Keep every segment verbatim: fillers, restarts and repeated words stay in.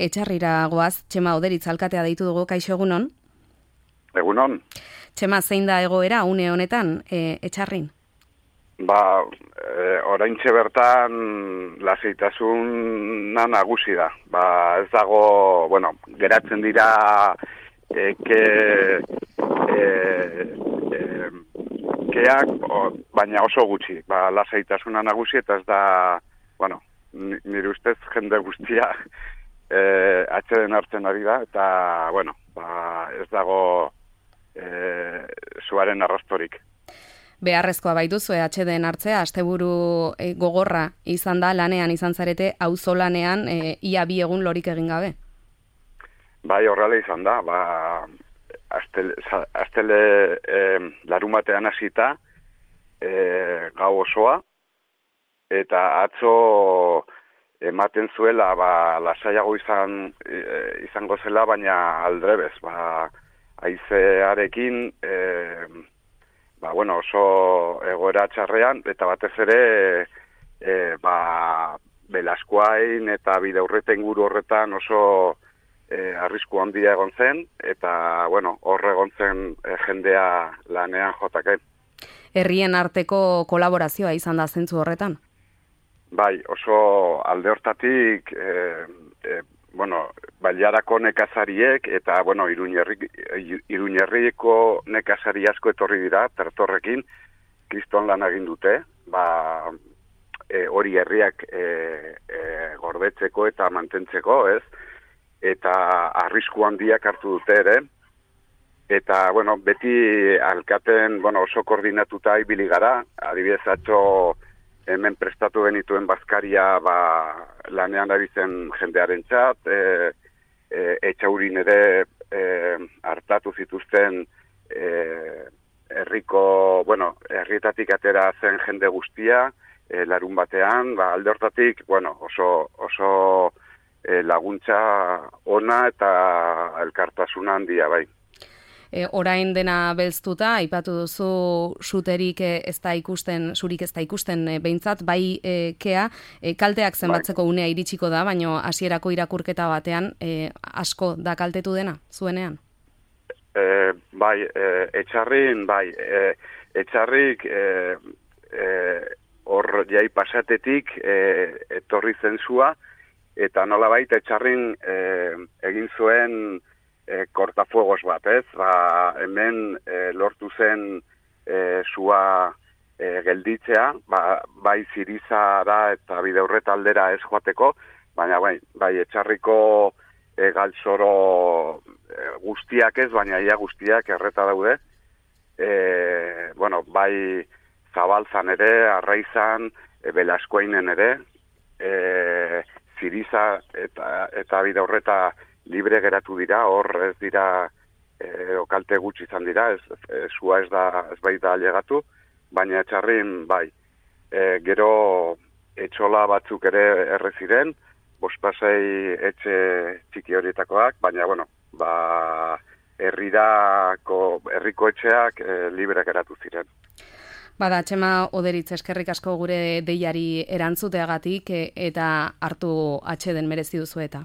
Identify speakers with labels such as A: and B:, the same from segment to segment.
A: Etxarrira goaz, Txema Oderitz alkatea deitu dugu, kaixo egunon?
B: Egunon.
A: Txema, zein da egoera une honetan e, etxarrin?
B: Ba, e, oraintxe bertan lasaitasuna nagusi da. Ba, ez dago, bueno, geratzen dira eke e, e, keak, o, baina oso gutxi. Ba, lasaitasuna nagusi eta ez da, bueno, nire ustez jende guztia e, atxeden hartzen ari da, eta, bueno, ba, ez dago e, zuaren arrastorik.
A: Beharrezkoa baituzue atxeden hartzea, asteburu e, gogorra izan da, lanean izan zarete, auzolanean e, ia bi egun lorik egin gabe.
B: Bai, horrela izan da, ba, astele, astele e, larumatean hasita e, gau osoa, eta atzo ematen zuela, ba, lasaiago izan, e, izango zela, baina aldrebez, ba, haizearekin, e, ba, bueno, oso egoera txarrean, eta batez ere, e, ba, Belaskoain eta Bidaurreta inguru horretan oso e, arrisku handia egon zen, eta, bueno, hor egon zen e, jendea lanean jotake.
A: Herrien arteko kolaborazioa izan da zentzu horretan?
B: Bai, oso alde hortatik, e, e, bueno, Bailarako nekazariek eta, bueno, Iruñerriko nekazari asko etorri dira, tertorrekin, kriston lan egin dute, ba, e, hori herriak e, e, gordetzeko eta mantentzeko, ez? Eta arrisku handiak hartu dute ere, eta, bueno, beti alkaten, bueno, oso koordinatuta ibili gara, adibidez atzo hemen prestatu genituen bazkaria, ba, lanean ari zen jendearen txat, e, e, etxaurin ere e, hartatu zituzten e, herriko, bueno, herrietatik atera zen jende guztia, e, larun batean, ba, alde hortatik, bueno, oso, oso e, laguntza ona eta elkartasuna handia, bai.
A: E, orain dena belztuta, aipatu duzu suterik e, ez da ikusten, zurik ez da ikusten e, behintzat, bai e, kea, e, kalteak zenbatzeko bai. Unea iritsiko da, baina hasierako irakurketa batean e, asko da kaltetu dena, zuenean?
B: E, bai, e, etxarrin, bai, e, etxarrik e, e, hor jai pasatetik e, etorri zensua, eta nolabait etxarrin e, egin zuen E, kortafuegos bat, ez? Ba, hemen e, lortu zen e, sua e, gelditzea, ba, bai Zirizara eta Bidaurreta aldera ez joateko, baina bai, bai etxarriko e, galtzoro e, guztiak ez, baina ia guztiak erreta daude. E, bueno, bai Zabaltzan ere, Arraizan, e, Belaskoainen ere, e, Ziriza eta, eta Bidaurreta libre geratu dira, hor ez dira e, okalte gutxi izan dira, ez, ez, zua ez da ez bai da alegatu, baina etxarrin bai, e, gero etxola batzuk ere erre ziren, bospasei etxe txiki horietakoak, baina bueno, ba, herrirako, herriko etxeak e, libre geratu ziren.
A: Bada, Txema Oderitz, eskerrik asko gure deiari erantzuteagatik e, eta hartu atxeden merezi duzu eta.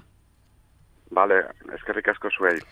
B: Bale, eskerrik asko zuei.